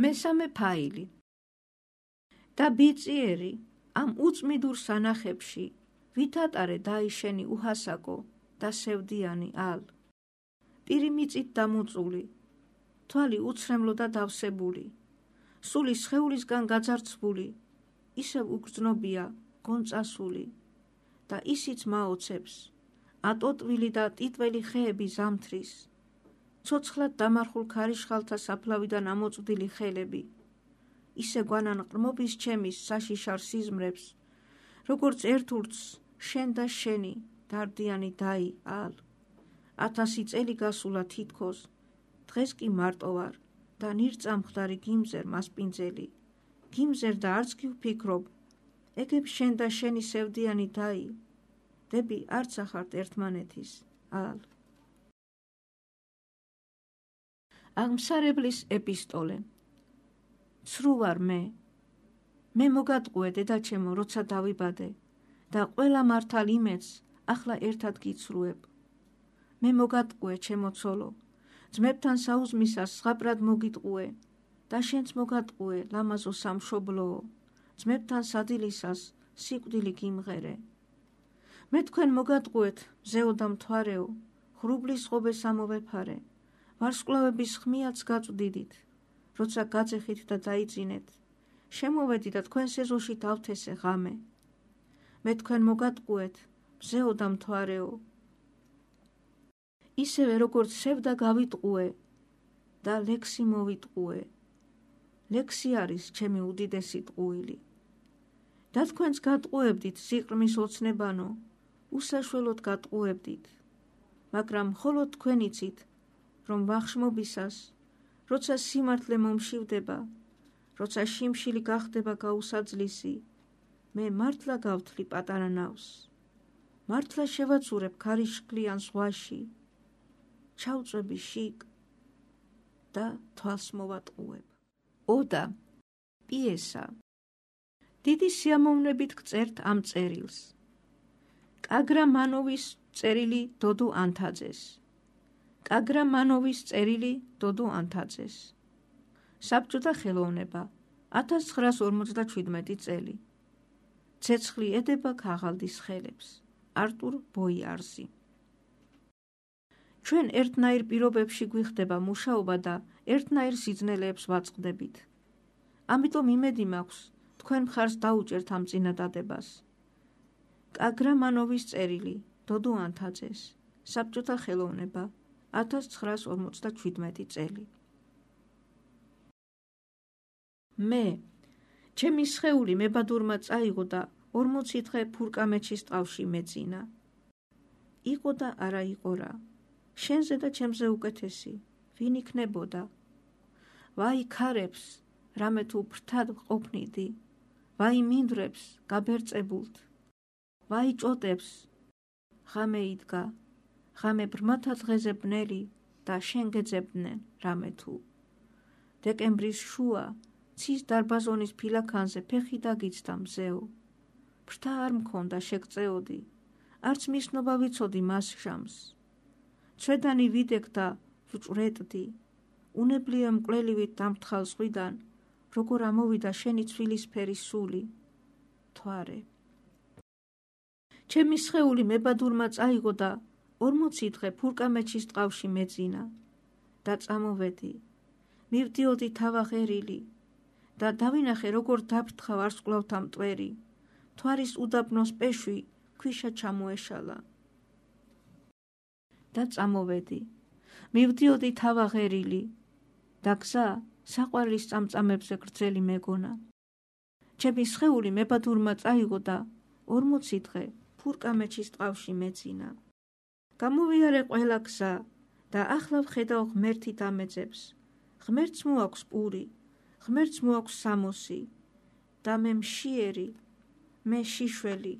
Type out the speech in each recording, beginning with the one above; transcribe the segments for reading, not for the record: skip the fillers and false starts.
მესამე ფაილი. და ბიწიერი ამ უწმიდურ სანახებში ვითატარე დაიშენი უჰასაკო და სევდიანი ალ. პირი მიწით დამუწული, თვალი უცრემლო და დავსებული, სული სხეულისგან გაძარცვული, ისევ უგრძნობია გონწასული და ისიც მაოცებს, ატოტვილი და ტიტველი ხეები ზამთრის, ცოცხლად დამარხულ ქარიშხალთა საფლავიდან ამოწვდილი ხელები, ისე გვანან ყრმობის ჩემის საშიშარ სიზმრებს, როგორც ერთურც შენ და შენი დარდიანი დაი ალ. 1000 წელი გასულა თითქოს, დღეს კი მარტო ვარ და ნირწამხდარი გიმზერ მასპინძელი, გიმზერ და არც კი ვფიქრობ, ეგებ შენ და შენი სევდიანი დაი, დები არც ახართ ერთმანეთის ალ. აღმსარებლის ეპისტოლე. ცრუ ვარ მე მოგატყუე დედაჩემო, როცა დავიბადე და ყველა მართალ იმედს ახლა ერთად გიცრუებ. მე მოგატყუე ჩემო ცოლო, ძმებთან საუზმისას ზღაპრად მოგიტყუე და შენც მოგატყუე ლამაზო სამშობლოო, ძმებთან სადილისას სიკვდილი გიმღერე. მე თქვენ მოგატყუეთ მზეო და მთვარეო, ღრუბლის ღობეს ამოვეფარე, ვარსკვლავების ხმიაც გაწვდიდით, როცა გაძეხით და დაიძინეთ, შემოვედი და თქვენს ეზოში დავთესე ღამე. მე თქვენ მოგატყუეთ მზეო და მთვარეო, ისევე როგორც სევდა გავიტყუე და ლექსი მოვიტყუე. ლექსი არის ჩემი უდიდესი ტყუილი. და თქვენს გატყუებდით სიყრმის ოცნებანო, უსაშველოდ გატყუებდით, მაგრამ მხოლოდ თქვენ იცით, რომ ვახშმობისას, როცა სიმართლე მომშივდება, როცა შიმშილი გახდება გაუსაძლისი, მე მართლა გავთლი პატარა ნავს, მართლა შევაცურებ ქარიშხლიან ზღვაში, ჩავწვევი შიგ და თვალს მოვატყუებ. ოდა პიესა. დიდი სიამოვნებით გწერთ ამ წერილს. კაგრამანოვის წერილი დოდო ანთაძეს. კაგრამანოვის წერილი დოდო ანთაძეს. საბჭოთა ხელოვნება 1957 წელი. ცეცხლი ედება ქაღალდის ხელებს. არტურ ბოიარზი. ჩვენ ერთნაირ პირობებში გვიხდება მუშაობა და ერთნაირ სიძნელეებს ვაწყდებით. ამიტომ იმედი მაქვს, თქვენ მხარს დაუჭერთ ამ წინადადებას. კაგრამანოვის წერილი დოდო ანთაძეს. საბჭოთა ხელოვნება 1957 წელი. მე, ჩემი სხეული მებადურმა წაიღო და 40 დღე ფურკამეჩის ტყავში მეძინა. იყო და არა იყო რა. შენზე და ჩემზე უკეთესი, ვინ იქნებოდა? ვაი ქარებს, რამე თუ ფრთად ყოფნიდი, ვაი მინდვრებს, გაბერწებულთ, ვაი ჭოტებს, ღამე იდგა, ღამე ბრმათა დღეზე ბნელი და შენ გეძებდნენ რამე თუ. დეკემბრის შუა, ცის დარბაზონის ფილაქანზე ფეხი დაგიცდა მზეო. ფრთა არ მქონდა შეგწეოდი, არც მისნობა ვიცოდი მას შამს. ცვედანი ვიდექ და ვჭვრეტდი, უნებლიო მკვლელივით დამთხალ ზღვიდან, როგორ ამოვიდა შენი ცვილისფერი სული, თვარე. ჩემი სხეული მებადურმა წაიღო და 40 დღე ფურკამეჩის ტყავში მეძინა და წამოვედი, მივდიოდი თავაღერილი და დავინახე როგორ დაფრთხა ვარსკვლავთა მტვერი, თვარის უდაბნოს პეშვი ქვიშა ჩამოეშალა. და წამოვედი, მივდიოდი თავაღერილი და გზა საყვარლის წამწამებზე გრძელი მეგონა. ჩემი სხეული მებადურმა წაიღო და 40 დღე ფურკამეჩის ტყავში მეძინა. გამოვიარე ყველა გზა და ახლა ვხედავ ღმერთით ამეძებს. ღმერთს მოაქვს პური, ღმერთს მოაქვს სამოსი და მე მშიერი, მე შიშველი,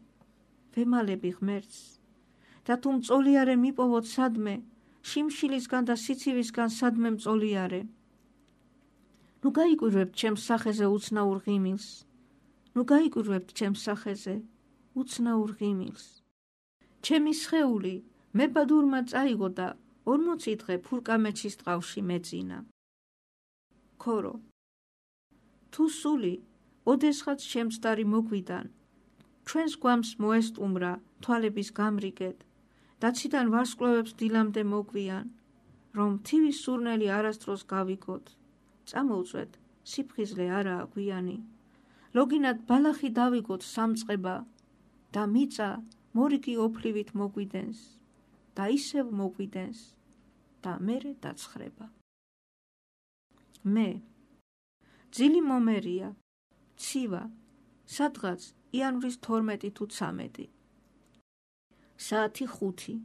ვემალები ღმერთს. და თუ მწოლიარე მიპოვოთ სადმე, შიმშილისგან და სიცივისგან სადმე მწოლიარე. ნუ გაიკვირვებთ ჩემს სახეზე უცნაურ ღიმილს, ნუ გაიკვირვებთ ჩემს სახეზე უცნაურ ღიმილს. ჩემი სხეული მებადურმა წაიღო და 40 დღე ფურკამეჩის ტყავში მეძინა. ქორო. თუ სული ოდესღაც შემცდარი მოგვიდან, ჩვენს გვამს მოესტუმრა თვალების გამრიგედ, დაციდან ვარსკვლავებს დილამდე მოგვიან, რომ თივის სურნელი არასდროს გავიგოთ, წამოვწვეთ სიფხიზლე არაა გვიანი, ლოგინად ბალახი დავიგოთ სამწყება და მიწა მორიგი ოფლივით მოგვიდენს და ისევ მოგვიდენს და მერე დაცხრება. მე ძილი მომერია, ცივა, სადღაც იანვრის 12 თუ 13. საათი 5.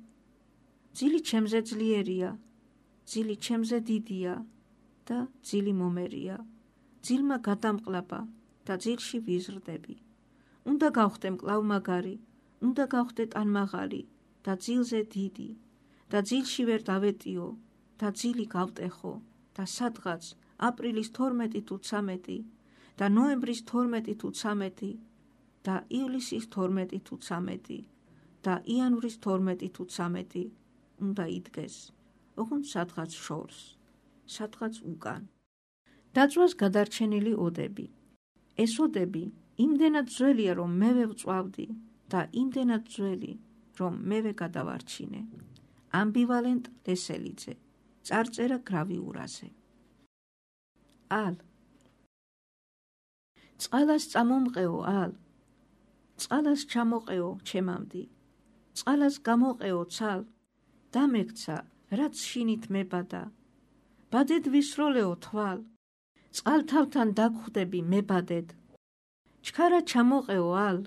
ძილი ჩემზე ძლიერია, ძილი ჩემზე დიდია და ძილი მომერია. ძილმა გადამყლაბა და ძილში ვიზრდები. უნდა გავხდე მკლავმაგარი, უნდა გავხდე ტანმაღალი და ძილზე დიდი და ძილში ვერ დავეტიო და ძილი გავტეხო და სადღაც აპრილის 12 თუ 13 და ნოემბრის 12 თუ 13 და ივლისის 12 თუ 13 და იანვრის 12 თუ 13 უნდა იდგეს, ოღონდ სადღაც შორს, სადღაც უკან. დაწვას გადარჩენილი ოდები. ეს ოდები იმდენად ძველია, რომ მე ვწვავდი და იმდენად ძველი, რომ მე გადავარჩინე. ამბივალენტ ლესელიძე, წარწერა გრავიურაზე. ალ. წყალას წამომყეო ალ, წყალას ჩამოყეო ჩემამდი, წყალას გამოყეო ცალ, დამექცა, რაც შინით მებადა, ბადედ ვისროლეო თვალ, წყალთავთან დაგხვდები მებადედ, ჩქარა ჩამოყეო ალ,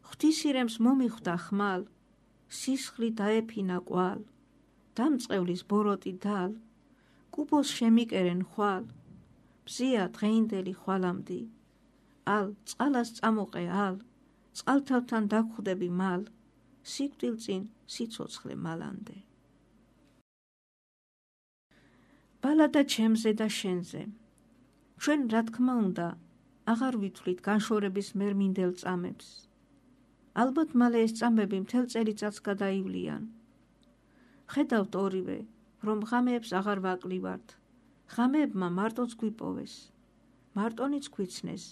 ღვთისირემს მომიხვდა ხმალ, სისხლი დაეფინა კვალ, დამწყევლის ბოროტი დალ, კუბოს შემიკერენ ხვალ, ბზია დღეინდელი ხვალამდი, ალ წყალას წამოყე ალ, წყალთავთან დაგხვდები მალ, სიკვდილწინ სიცოცხლე მალამდე. ბალადა ჩემზე და შენზე. ჩვენ რა თქმა უნდა აღარ ვითვლით განშორების მერმინდელ წამებს. ალბათ მალე ეს წამები მთელ წელიწადს გადაივლიან. ხედავთ ორივე, რომ ღამეებს აღარ ვაკლივართ. ღამეებმა მარტოც გვიპოვეს, მარტონიც გვიცნეს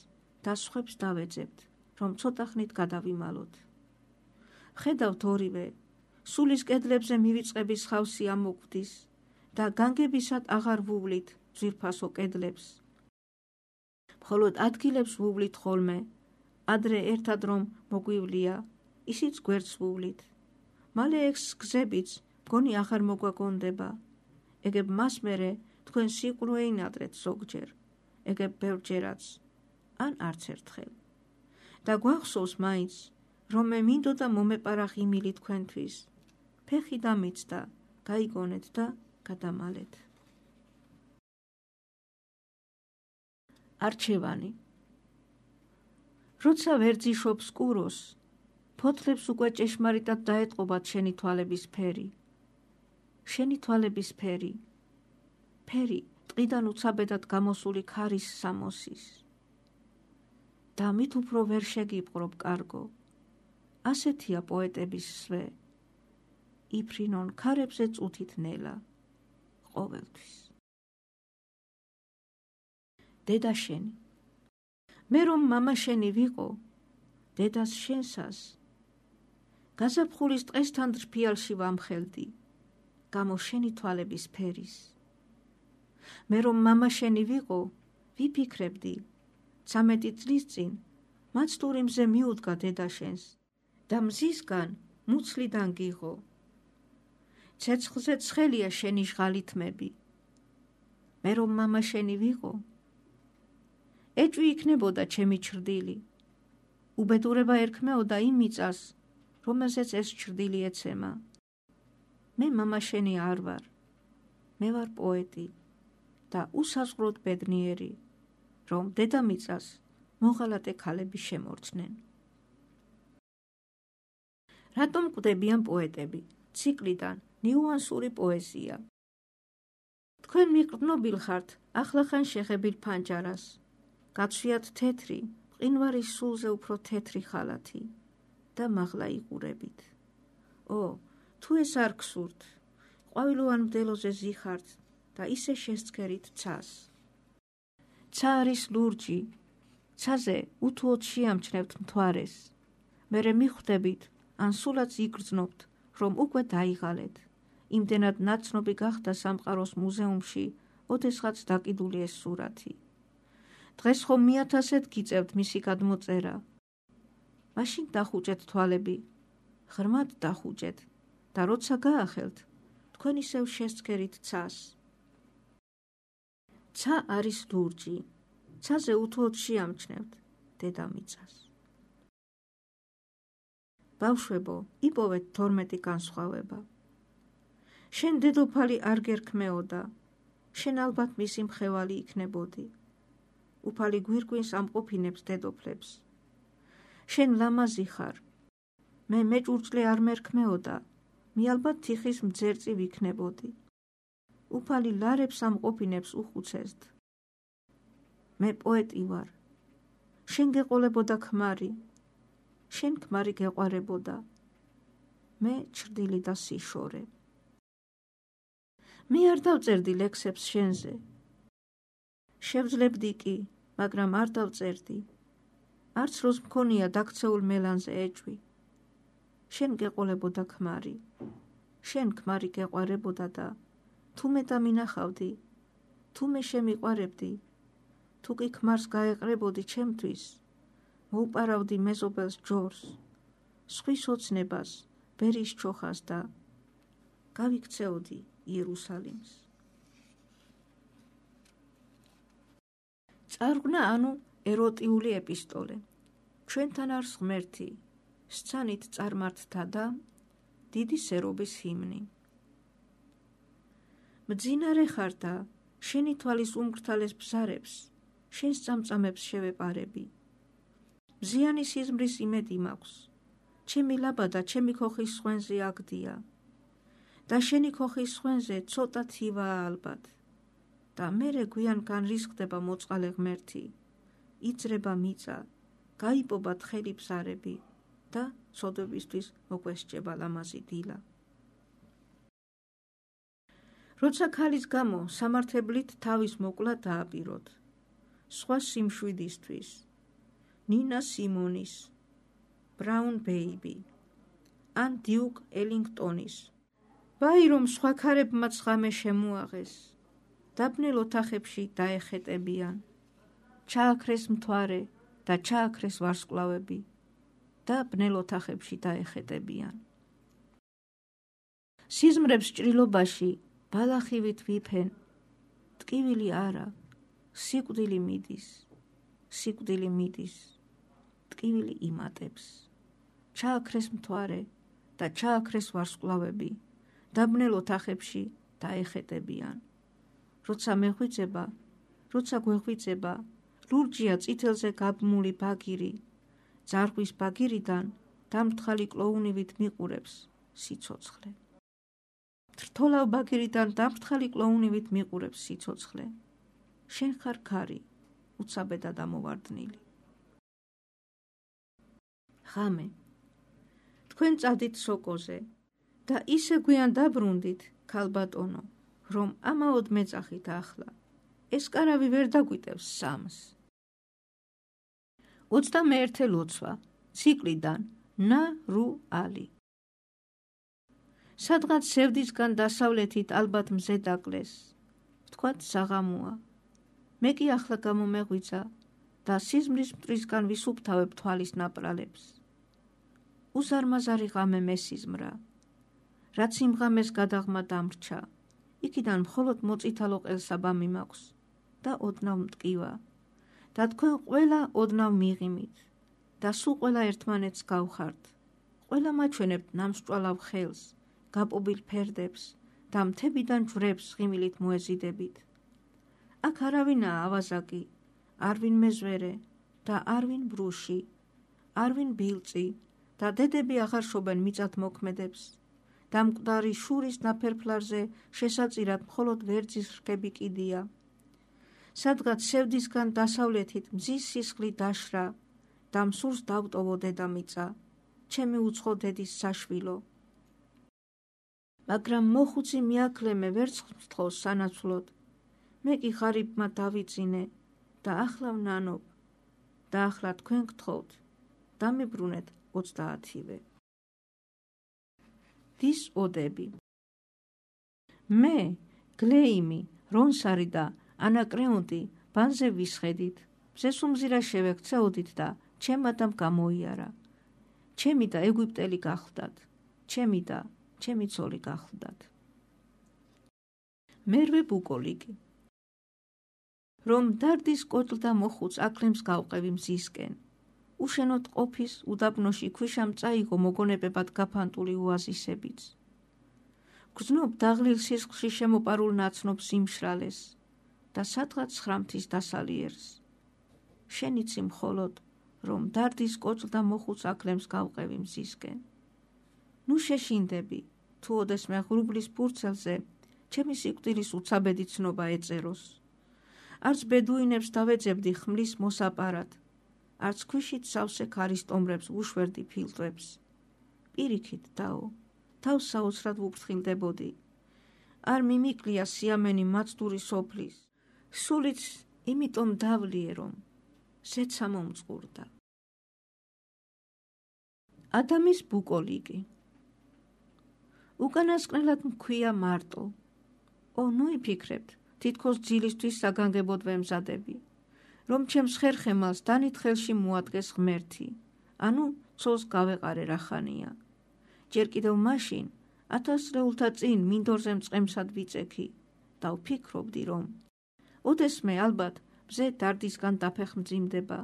და სხვებს დავეძებთ, რომ ცოტა ხნით გადავიმალოთ. ხედავთ ორივე, სულის კედლებზე მივიწყების ხავსი ამოკვდის და განგებისად აღარ ვუვლით ძვირფასო კედლებს. მხოლოდ ადგილებს ვუვლით ხოლმე, ადრე ერთად რომ მოგვივლია, ისიც გვერდს ვუვლით. მალე ეს გზებიც მგონი აღარ მოგვაგონდება. ეგებ მას მერე თქვენ სიყრუ ეინადრეთ ზოგჯერ, ეგებ ბევრჯერაც, ან არც ერთხელ. და გვახსოვს მაინც, რომ მე მინდოდა მომეპარა ღიმილი თქვენთვის. ფეხი დამიცდა, გაიგონეთ და გადამალეთ. არჩევანი. როცა ვერძიშობს კუროს, ფოთლებს უკვე ჭეშმარიტად დაეტყობათ შენი თვალების ფერი. შენი თვალების ფერი. ფერი ტყიდან უცაბედად გამოსული ქარის სამოსის. და მით უფრო ვერ შეგიპყრობ კარგო. ასეთია პოეტების სვე. იფრინონ ქარებზე წუთით ნელა. ყოველთვის. დედა შენი. მე რომ მამა შენი ვიყო, დედას შენსას, გაზაფხულის ტყესთან დრფიალში ვამხელდი, გამო შენი თვალების ფერის. მე რომ მამა შენი ვიყო, ვიფიქრებდი, 13 წლის წინ მაცდური მზე მიუდგა დედა შენს და მზისგან მუცლიდან გიღო. ცეცხლზე ცხელია შენი ჟღალითმები. მე რომ მამა შენი ვიყო, ეჭვი იქნებოდა ჩემი ჩრდილი. უბედურება ერქმეოდა იმ მიწას, რომელზეც ეს ჩრდილი ეცემა. მე მამა შენი არ ვარ. მე ვარ პოეტი და უსაზღვროდ ბედნიერი, რომ დედამიწას მოღალატე ქალები შემორჩნენ. რატომ კვდებიან პოეტები? ციკლიდან ნიუანსური პოეზია. თქვენ მიყრდნობილ ხართ ახლახან შეხებილ ფანჯარას. გაცვიათ თეთრი, მყინვარის სულზე უფრო თეთრი ხალათი და მაღლა იყურებით. თუ ეს არ გსურთ, ყვავილოვან მდელოზე ზიხართ და ისე შესცქერით ცას. ცა არის ლურჯი, ცაზე უთუოდ შეამჩნევთ მთვარეს, მერე მიხვდებით, ან სულაც იგრძნობთ, რომ უკვე დაიღალეთ. იმდენად ნაცნობი გახდა სამყაროს მუზეუმში, ოდესღაც დაკიდული ეს სურათი. დღეს ხომ 1000-ად გიწევთ მისი გადმოწერა. მაშინ დახუჭეთ თვალები, ღრმად დახუჭეთ და როცა გაახელთ, თქვენ ისევ შესცქერით ცას. ცა არის ლურჯი, ცაზე უთუოდ შეამჩნევთ დედამიწას. ბავშვებო, იპოვეთ 12 განსხვავება. შენ დედოფალი არ გერქმეოდა, შენ ალბათ მისი მხევალი იქნებოდი. უფალი გვირგვინს ამყოფინებს დედოფლებს. შენ ლამაზი ხარ, მე მეჭურჭლე არ მერქმეოდა, მე ალბათ თიხის მძერწი ვიქნებოდი. უფალი ლარებს ამყოფინებს უხუცესთ. მე პოეტი ვარ, შენ გეყოლებოდა ქმარი, შენ ქმარი გეყვარებოდა, მე ჩრდილი და სიშორე. მე არ დავწერდი ლექსებს შენზე. შევძლებდი კი, მაგრამ არ დავწერდი. არც როს მქონია დაქცეულ მელანზე ეჭვი. შენ გეყოლებოდა ქმარი, შენ ქმარი გეყვარებოდა და თუ მე დამინახავდი, თუ მე შემიყვარებდი, თუ კი ქმარს გაეყრებოდი ჩემთვის, მოუპარავდი მეზობელს ჯორს, სხვის ოცნებას, ბერის ჩოხას და გავიქცეოდი იერუსალიმს. წარღვნა ანუ ეროტიული ეპისტოლე. ჩვენთან არის ღმერთი, სცანით წარმართთა და დიდი სერობის ჰიმნი. მძინარე ხარ და შენი თვალის უმგრთალეს ბზარებს, შენს წამწამებს შევეპარები. მზიანი სიზმრის იმედი მაქვს, ჩემი ლაბადა ჩემი ქოხის სხვენზე აგდია და შენი ქოხის სხვენზე ცოტა თივაა ალბათ და მერე გვიან განრისხდება მოწყალე ღმერთი, იძრება მიწა, გაიპობა თხელი ბზარები და ცოდვებისთვის მოგვესჭება ლამაზი დილა. როცა ქალის გამო სამართებლით თავის მოკლა დააპიროთ, სხვა სიმშვიდისთვის, ნინა სიმონის, ბრაუნ ბეიბი, ან დიუკ ელინგტონის, ვაირომ სხვა ქარებმაც ღამე შემუაღეს, დაბნელ ოთახებში დაეხეტებიან, ჩააქრეს მთვარე და ჩააქრეს ვარსკვლავები და ბნელ ოთახებში დაეხეტებიან. სიზმრებს ჭრილობაში ბალახივით ვიფენ, ტკივილი არა, სიკვდილი მიდის, სიკვდილი მიდის, ტკივილი იმატებს. ჩააქრეს მთვარე და ჩააქრეს ვარსკვლავები და ბნელ ოთახებში დაეხეტებიან. როცა მეხვიძება, როცა გვეხვიძება, ლურჯია წითელზე გაბმული ბაგირი, ძარღვის ბაგირიდან დამრთხალი კლოუნივით მიყურებს სიცოცხლე. თრთოლავ ბაგირიდან დამრთხალი კლოუნივით მიყურებს სიცოცხლე. შენ ხარ ქარი, უცაბედა დამოვარდნილი. ღამე. თქვენ წადით სოკოზე და ისე გვიან დაბრუნდით, ქალბატონო, რომ ამაოდ მეძახით ახლა. ეს კარავი ვერ დაგვიტევს სამს. 21 ლოცვა, ციკლიდან ნა რუ ალი. სადღაც სევდისგან დასავლეთით ალბათ მზე დაკლეს. ვთქვათ საღამოა. მე კი ახლა გამომეღვიძა და სიზმრის მტრისგან ვისუფთავებ თვალის ნაპრალებს. უზარმაზარი ღამე მესიზმრა. რაც იმ ღამეს გადაღმა დამრჩა, იქიდან მხოლოდ მოწითალო ყელსაბამი მაქვს და ოდნავ მტკივა და თქვენ ყველა ოდნავ მიღიმით და სულ ყველა ერთმანეთს გავხართ. ყველა მაჩვენებთ ნამსჭვალავ ხელს, გაპობილ ფერდებს და მთებიდან ჯვრებს ღიმილით მოეზიდებით. აქ არავინაა ავაზაკი, არვინ მეზვერე და არვინ ბრუში, არვინ ბილწი და დედები აღარ შობენ მიწათ მოქმედებს და მკვდარი შურის ნაფერფლარზე შესაწირად მხოლოდ ვერძის რქები კიდია. სადღაც სევდისგან დასავლეთით მზის სისხლი დაშრა და მსურს დავტოვო დედამიწა, ჩემი უცხო დედის საშვილო. მაგრამ მოხუცი მიაკლემე ვერცხლს მთხოვს სანაცვლოდ, მე კი ღარიბმა დავიწინე და ახლა ვნანობ, და ახლა თქვენ გთხოვთ, დამიბრუნეთ 30-ვე. დის ოდები. მე, გლეიმი, რონსარი და ანაკრეონტი ბანზე ვისხედით, მზეს უმზირა შევექცეოდით და ჩემადამ გამოიარა. ჩემი და ეგვიპტელი გახლდათ, ჩემი და ჩემი ცოლი გახლდათ. მერვე ბუკოლიკი. რომ დარდის კოჭლ და მოხუც აკლემს გავყევი მზისკენ. უშენოდ ყოფის უდაბნოში ქვიშამ წაიგო მოგონებებად გაფანტული უაზისებიც. გრძნობ დაღლილ სისხლში შემოპარულ ნაცნობს იმშრალეს და სადღაც ცხრამთის დასალიერს. შენიცი მხოლოდ, რომ დარდის კოჭლ და მოხუც აკლემს გავყევი მზისკენ. ნუ შეშინდები, თუ ოდესმე ღრუბლის ფურცელზე ჩემი სიკვდილის უცაბედი ცნობა ეწეროს. არც ბედუინებს დავეძებდი ხმლის მოსაპარად, არც ქვიშით სავსე ქარის ტომრებს ვუშვერდი ფილტვებს. პირიქით დაო, თავს საოცრად ვუფრთხილდებოდი. არ მიმიკლია სიამენი მაცდური სოფლის, სულიც იმიტომ დავლიე, რომ ზეცა მომწყურდა. ადამის ბუკოლიკი. უკანასკნელად მქვია მარტო. ნუ იფიქრებთ, თითქოს ძილისთვის საგანგებოდ ვემზადები, რომ ჩემს ხერხემალს დანით ხელში მოადგეს ღმერთი, ანუ ცოლს გავეყარე რახანია. ჯერ კიდევ მაშინ 1000 წლეულთა წინ მინდორზე მწყემსად ვიწექი და ვფიქრობდი, რომ ოდესმე ალბათ მზე დარდისგან დაფეხმძიმდება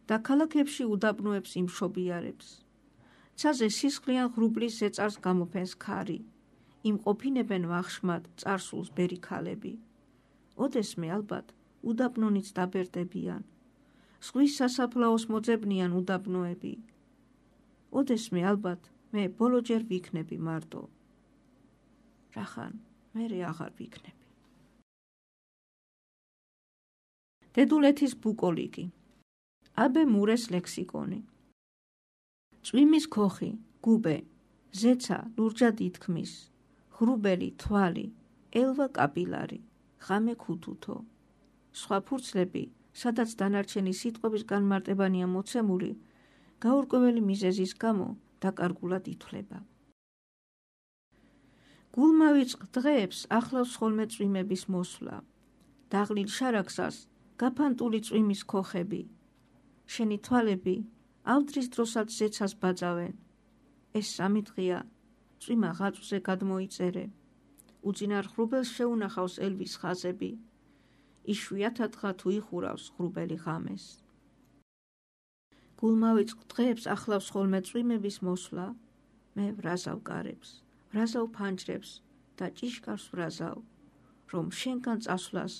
და ქალაქებში უდაბნოებს იმშობიარებს. ცაზე სისხლიან ღრუბლის ზეწარს გამოფენს ქარი, იმყოფინებენ ვახშმად წარსულს ბერი ქალები. ოდესმე ალბათ უდაბნონიც დაბერდებიან, ზღვის სასაფლაოს მოძებნიან უდაბნოები. ოდესმე ალბათ მე ბოლოჯერ ვიქნები მარტო. რახან მერე აღარ ვიქნები. დედულეთის ბუკოლიკი. აბე მურეს ლექსიკონი. წვიმის ქოხი, გუბე, ზეცა ლურჯად ითქმის, ღრუბელი თვალი, ელვა კაპილარი, ღამე ქუთუთო. სხვა ფურცლები, სადაც დანარჩენი სიტყვების განმარტებანია მოცემული, გაურკვეველი მიზეზის გამო დაკარგულად ითვლება. გულმავიწყ დღეებს ახლავს ხოლმე წვიმების მოსვლა. დაღლილ შარაგსას გაფანტული წვიმის ქოხები. შენი თვალები ავდრის დროსაც ზეცას ბაძავენ. ეს 3 დღეა წვიმა ღაწვზე გადმოიწერე. უძინარ ღრუბელს შეუნახავს ელვის ხაზები. იშვიათადღა თუ იხურავს ღრუბელი ღამეს. გულმავიწყ დღეებს ახლავს ხოლმე წვიმების მოსვლა. მე ვრაზავ კარებს, ვრაზავ ფანჯრებს და ჭიშკარს ვრაზავ, რომ შენგან წასვლას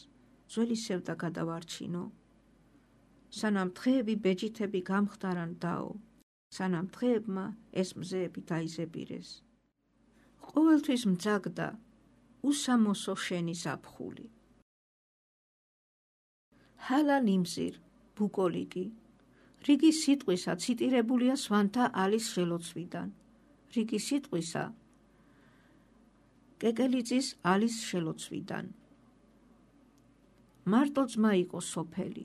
ძველი სევდა გადავარჩინო. სანამ დღეები ბეჯითები გამხდარან დაო, სანამ დღეებმა ეს მზეები დაიზებირეს. ყოველთვის მძაგდა უსამოსო შენი ზაფხული. ჰალა ლიმზირ, ბუკოლიკი. რიგი სიტყვისა ციტირებულია სვანთა ალის შელოცვიდან. რიგი სიტყვისა კეკელიძის ალის შელოცვიდან. მარტო ძმა იყო სოფელი,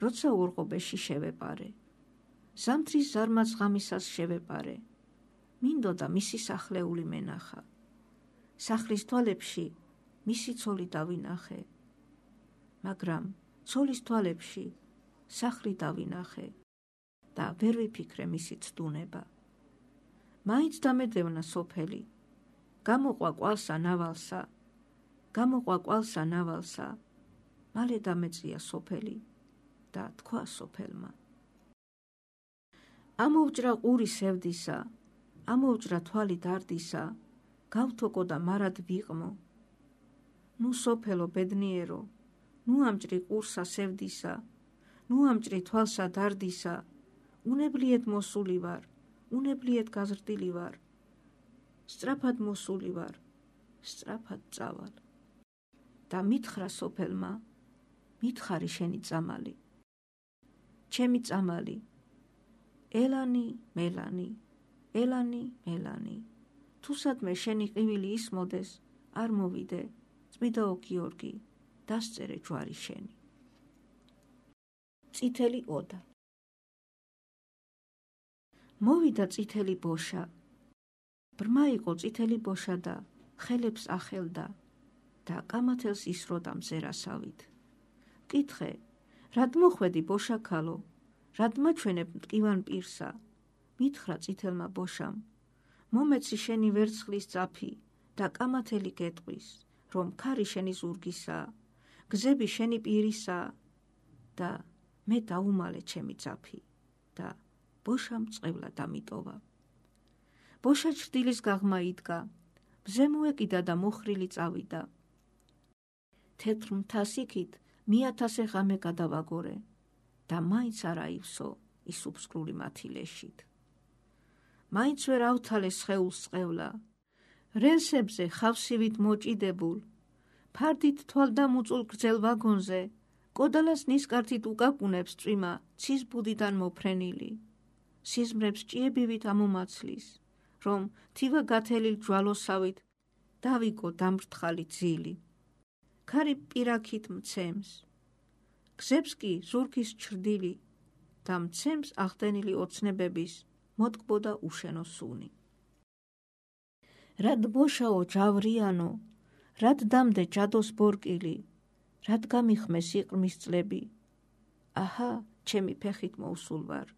როცა ურღობეში შევეპარე. ზამთრის ზარმაც ღამისას შევეპარე. მინდოდა მისი სახლეული მენახა. სახლის თვალებში მისი ცოლი დავინახე. მაგრამ ცოლის თვალებში სახლი დავინახე და ვერ ვიფიქრე მისი ცდუნება. მაინც დამედევნა სოფელი. გამოყვა კვალსა ნავალსა, გამოყვა კვალსა ნავალსა. მალე დამეწია სოფელი და თქვა სოფელმა. ამოვჭრა ყური სევდისა, ამოვჭრა თვალი დარდისა, გავთოკო და მარად ვიყმო. ნუ სოფელო ბედნიერო, ნუ ამჭრი ყურსა სევდისა, ნუ ამჭრი თვალსა დარდისა, უნებლიეთ მოსული ვარ, უნებლიეთ გაზრდილი ვარ, სწრაფად მოსული ვარ, სწრაფად წავალ. და მითხრა სოფელმა, მითხარი შენი წამალი. ჩემი წამალი, ელანი, მელანი, ელანი, მელანი. თუსადმე შენი ყივილი ისმოდეს, არ მოვიდე, წმიდაო გიორგი, დასწერე ჯვარი შენი. წითელი ოდა. მოვიდა წითელი ბოშა. ბრმა იყო წითელი ბოშა და ხელებს ახელდა და კამათელს ისროდა მზერასავით. მკითხე, რად მოხვედი ბოშა ქალო, რად მაჩვენებ მტკივან პირსა? მითხრა წითელმა ბოშამ, მომეცი შენი ვერცხლის წაფი და კამათელი გეტყვის, რომ ქარი შენი ზურგისაა, გზები შენი პირისაა და მე დაუმალე ჩემი წაფი და ბოშამ წყევლა დამიტოვა. ბოშა ჩრდილის გაღმა იდგა, მზე მოეკიდა და მოხრილი წავიდა. თეთრ მთას იქით 1000 ღამე გადავაგორე და მაინც არ აივსო ის უფსკრული მათილეშით. მაინც ვერ ავთალე სხეულს წყევლა, რელსებზე ხავსივით მოჭიდებულ, ფარდით თვალდამუწულ გრძელ ვაგონზე, კოდალას ნისკარტით უკაკუნებს წვიმა ცის ბუდიდან მოფრენილი, სიზმრებს ჭიებივით ამომაცლის, რომ თივა გათელილ ჯვალოსავით დავიკო დამრთხალი ძილი. ქარი პირაქით მცემს, გზებს კი ზურგის ჩრდილი და მცემს ახდენილი ოცნებების მოტკბოდა უშენო სუნი. რად ბოშაო ჯავრიანო, რად დამდე ჯადოს ბორკილი, რად გამიხმეს იყრმის წლები? აჰა, ჩემი ფეხით მოვსულ ვარ,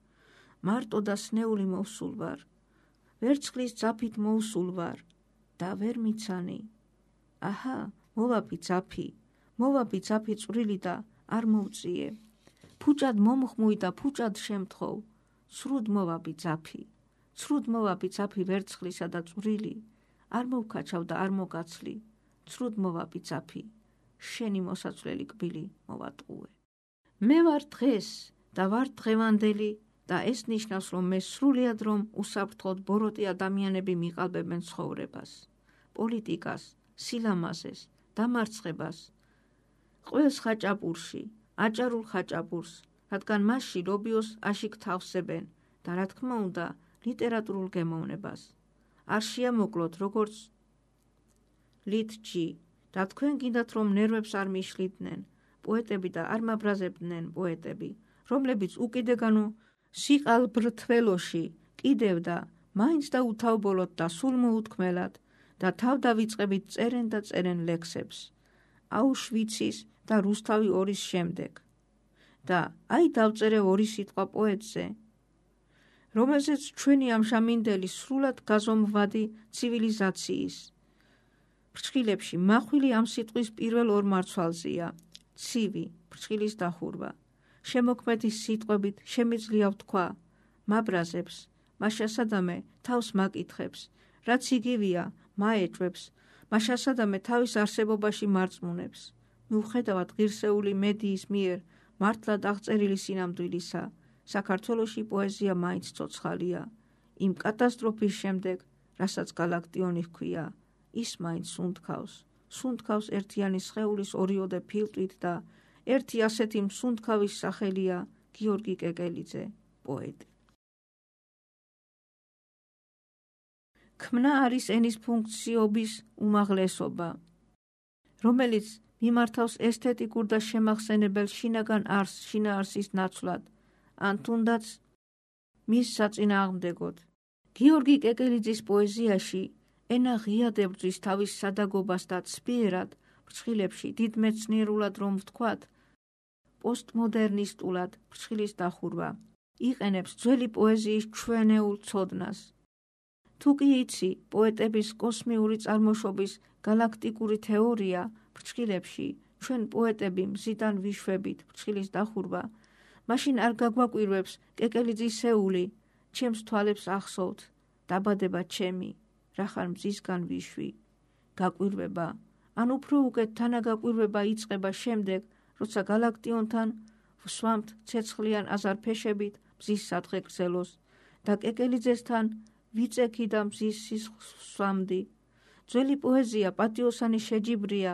მარტო და სნეული მოვსულ ვარ, ვერცხლის ძაფით მოვსულ ვარ და ვერ მიცანი. აჰა, მოვაბი ძაფი წვრილი და არ მოვწიე, ფუჭად მომხმუი და ფუჭად შემთხოვ, ცრუდ მოვაბი ძაფი ვერცხლისა და წვრილი, არ მოვქაჩავ და არ მოგაცლი, ცრუდ მოვაბი ძაფი, შენი მოსაცვლელი კბილი მოვატყუე. მე ვარ დღეს და ვარ დღევანდელი და ეს ნიშნავს, რომ მე სრულიად რომ უსაფრთხოდ ბოროტი ადამიანები მიყალბებენ ცხოვრებას, პოლიტიკას, სილამაზეს, დამარცხებას, ყველს ხაჭაპურში, აჭარულ ხაჭაპურს, რადგან მასში ლობიოს აშიკ თავსებენ და რა თქმა უნდა ლიტერატურულ გემოვნებას. არ შეამოკლოთ როგორც ლიტჯი და თქვენ გინდათ რომ ნერვებს არ მიშლიდნენ პოეტები და არ მაბრაზებდნენ პოეტები, რომლებიც უკიდეგანო სიყალბრთველოში კიდევ და მაინც და უთავბოლოდ და სულ მოუთქმელად და თავდავიწყებით წერენ და წერენ ლექსებს აუშვიცის და რუსთავი 2-ის შემდეგ. და აი დავწერე 2 სიტყვა პოეტზე, რომელზეც ჩვენი ამჟამინდელი სრულად გაზომვადი ცივილიზაციის ფრჩხილებში მახვილი ამ სიტყვის პირველ 2 მარცვალზეა, ცივი, ფრჩხილის დახურვა. შემოქმედის სიტყვებით შემიძლია ვთქვა, მაბრაზებს, მაშასადამე თავს მაკითხებს, რაც იგივია, მაეჭვებს, მაშასადამე თავის არსებობაში მარწმუნებს. მიუხედავად ღირსეული მედიის მიერ მართლად აღწერილი სინამდვილისა, საქართველოში პოეზია მაინც ცოცხალია. იმ კატასტროფის შემდეგ, რასაც გალაქტიონი ჰქვია, ის მაინც სუნთქავს ერთიანი სხეულის 2-ოდე ფილტვით და ერთი ასეთი მსუნთქავის სახელია გიორგი კეკელიძე, პოეტი. ქმნა არის ენის ფუნქციობის უმაღლესობა, რომელიც მიმართავს ესთეტიკურ და შემახსენებელ შინაგან შინაარსის ნაცვლად, ან თუნდაც მის საწინააღმდეგოდ. გიორგი კეკელიძის პოეზიაში ენა ღიად ებრძვის თავის სადაგობას და ცბიერად, ფრჩხილებში დიდ მეცნიერულად რომ ვთქვათ, პოსტმოდერნისტულად ფრჩხილის დახურვა, იყენებს ძველი პოეზიის ჩვენეულ ცოდნას. თუ კი იცი პოეტების კოსმიური წარმოშობის გალაქტიკური თეორია ფრჩხილებში, ჩვენ პოეტები მზიდან ვიშვებით ფრჩხილის დახურვა, მაშინ არ გაგვაკვირვებს კეკელიძისეული, ჩემს თვალებს ახსოვთ, დაბადება ჩემი, რახარ მზისგან ვიშვი, გაკვირვება, ან უფრო უკეთ თანაგაკვირვება იწყება შემდეგ, როცა გალაქტიონთან ვსვამთ ცეცხლიან აზარფეშებით მზის სადღე გრძელოს და კეკელიძესთან ვიწექი და მზის სისხლს ვსვამდი. ძველი პოეზია პატიოსანი შეჯიბრია,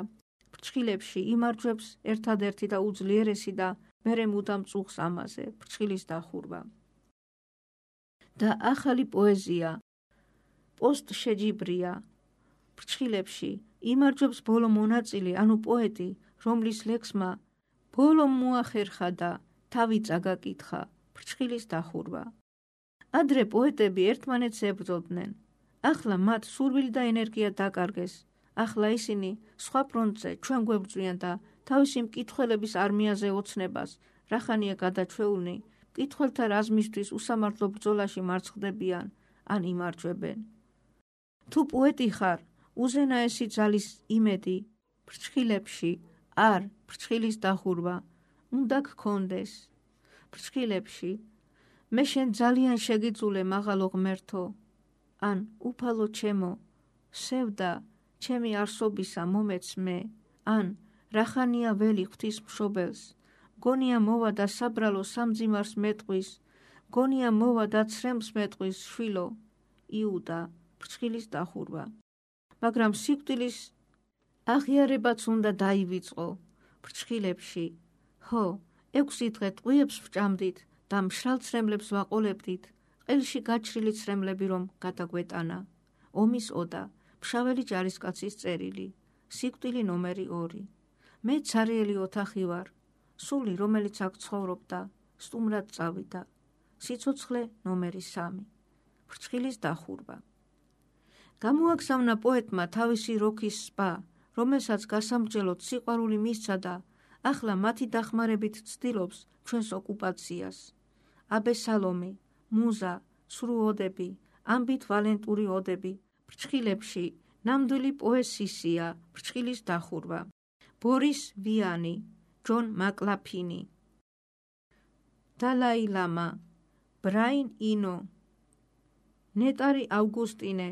ფრჩხილებში იმარჯვებს ერთადერთი და უძლიერესი და მერე მუდამ წუხს ამაზე, ფრჩხილის დახურვა. და ახალი პოეზია პოსტშეჯიბრია, ფრჩხილებში იმარჯვებს ბოლო მონაწილე, ანუ პოეტი, რომლის ლექსმა ბოლომ მოახერხა და თავი წაგაკითხა, ფრჩხილის დახურვა. ადრე პოეტები ერთმანეთს ებრძოდნენ, ახლა მათ სურვილი და ენერგია დაკარგეს, ახლა ისინი სხვა ფრონტზე ჩვენ გვებრძვიან და თავისი მკითხველების არმიაზე ოცნებას, რახანია გადაჩვეულნი, მკითხველთა რაზმისთვის უსამართლო ბრძოლაში მარცხდებიან ან იმარჯვებენ. თუ პოეტი ხარ, უზენაესი ძალის იმედი ფრჩხილებში, არ ფრჩხილის დახურვა, უნდა გქონდეს. ფრჩხილებში, მე შენ ძალიან შეგიძულე მაღალო ღმერთო, ან უფალო ჩემო, სევდა ჩემი არსობისა მომეც მე, ან რახანია ველი ღვთის მშობელს, გონია მოვა და საბრალო სამძიმარს მეტყვის, გონია მოვა და ცრემლს მეტყვის შვილო, იუდა, ფრჩხილის დახურვა. მაგრამ სიკვდილის აღიარებაც უნდა დაივიწყო ფრჩხილებში. ხო, 6 დღე ტყვიებს ვჭამდით და მშრალ ცრემლებს ვაყოლებდით, ყელში გაჩრილი ცრემლები რომ გადაგვეტანა. ომის ოდა, მშაველი ჯარისკაცის წერილი, სიკვდილი ნომერი 2. მე ცარიელი ოთახი ვარ, სული რომელიც აქ ცხოვრობდა, სტუმრად წავიდა, სიცოცხლე ნომერი 3. ფრჩხილის დახურვა. გამოაგზავნა პოეტმა თავისი როქის სპა, რომელსაც გასამრჯელოდ სიყვარული მისცა და ახლა მათი დახმარებით ცდილობს ჩვენს ოკუპაციას. აბესალომი, მუზა, სრუ ოდები, ამბით ვალენტური ოდები, ფრჩხილებში, ნამდვილი პოესისია, ფრჩხილის დახურვა. ბორის ვიანი, ჯონ მაკლაფინი, დალაი ლამა, ბრაინ ინო, ნეტარი ავგუსტინე,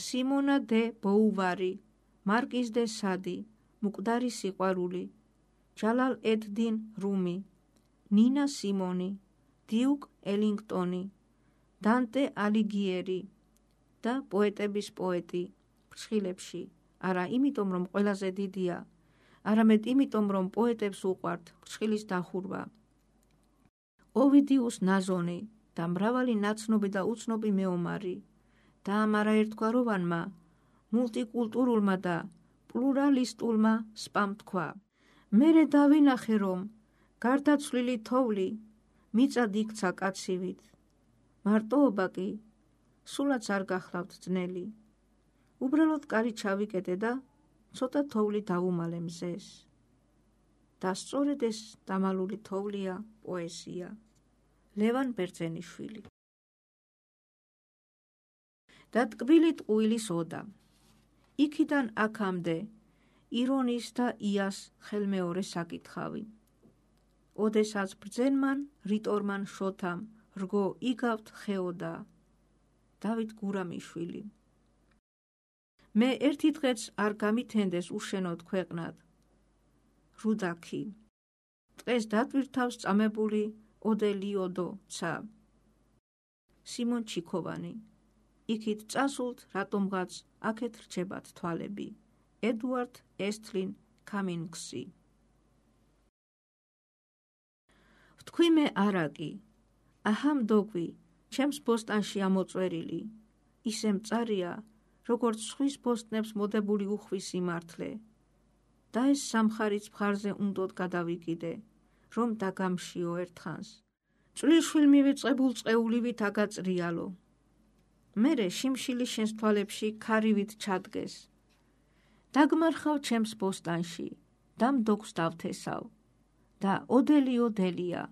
სიმონა დე ბოუვარი, მარკიზ დე სადი, მკვდარი სიყვარული, ჯალალ ედ-딘 რუმი, ნინა სიმონი, დიუკ ელინგტონი, დანტე ალიგიერი და პოეტების პოეტი ფრჩხილებში, არა იმიტომ რომ ყველაზე დიდია, არამედ იმიტომ რომ პოეტებს უყვართ ფრჩხილის დახურვა. ოვიდიუს ნაზონი და მრავალი ნაცნობი და უცნობი მეომარი და ამ არაერთგვაროვანმა, მულტიკულტურულმა და პლურალისტულმა სპამ თქვა. მერე დავინახე რომ გარდაცვლილი თოვლი მიწად იქცა კაცივით, მარტოობა კი სულაც არ გახლავთ ძნელი. უბრალოდ კარი ჩავიკეტე და ცოტა თოვლი დავუმალე მზეს. და სწორედ ეს დამალული თოვლია პოეზია. ლევან ბერძენიშვილი. და ტკბილი ტყუილის ოდა. იქიდან აქამდე ირონის და იას ხელმეორე საკითხავი. ოდესაც ბრძენმან რიტორმან შოთამ რგო იგავთ ხეოდა. დავით გურამიშვილი. მე ერთი დღეც არ გამითენდეს უშენოდ ქვეყნად. რუდაქი. დღეს დატვირთავს წამებული ოდელიოდო ცა. სიმონ ჩიქოვანი. იქით წასულთ რატომღაც აქეთ რჩებათ თვალები. ედუარდ ესთლინ კამინგსი. ვთქვი მე არაკი, აჰამ დოგვი, ჩემს ბოსტანში ამოწვერილი, ისე მწარია, როგორც სხვის ბოსტნებს მოდებული უხვის იმართლე. და ეს სამხარიც მხარზე უნდოდ გადავიკიდე, რომ დაგამშიო ერთხანს. წვრილშვილ მივიწყებულ წყეულივით აგაწრიალო. მერე შიმშილი შენს თვალებში ქარივით ჩადგეს. დაგმარხავ ჩემს ბოსტანში, და მდოგვს დავთესავ. და ოდელიო დელია,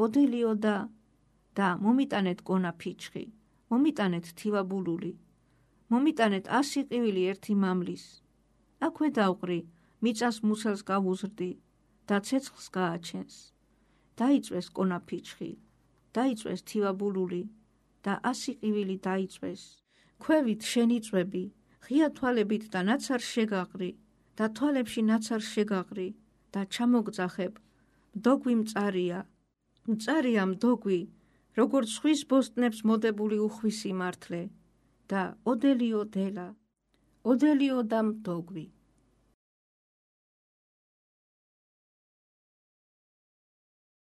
ოდელიო და მომიტანეთ გონა ფიჩხი, მომიტანეთ თივაბულული, მომიტანეთ 100 ყივილი ერთი მამლის. აქვე დავყრი, მიწას მუცელს გავუზრდი და ცეცხლს გააჩენს. დაიწვეს გონა ფიჩხი, დაიწვეს თივაბულული და 100 ყივილი დაიწვეს. ქვევით შენიწვები, ღია თვალებით და ნაცარ შეგაყრი და თვალებში ნაცარ შეგაყრი და ჩამოგძახებ. მდოგვი მწარია, მწარია მდოგვი, როგორც სხვის ბოსტნებს მოდებული უხვის იმართლე და ოდელიო დელა, ოდელიო და მდოგვი.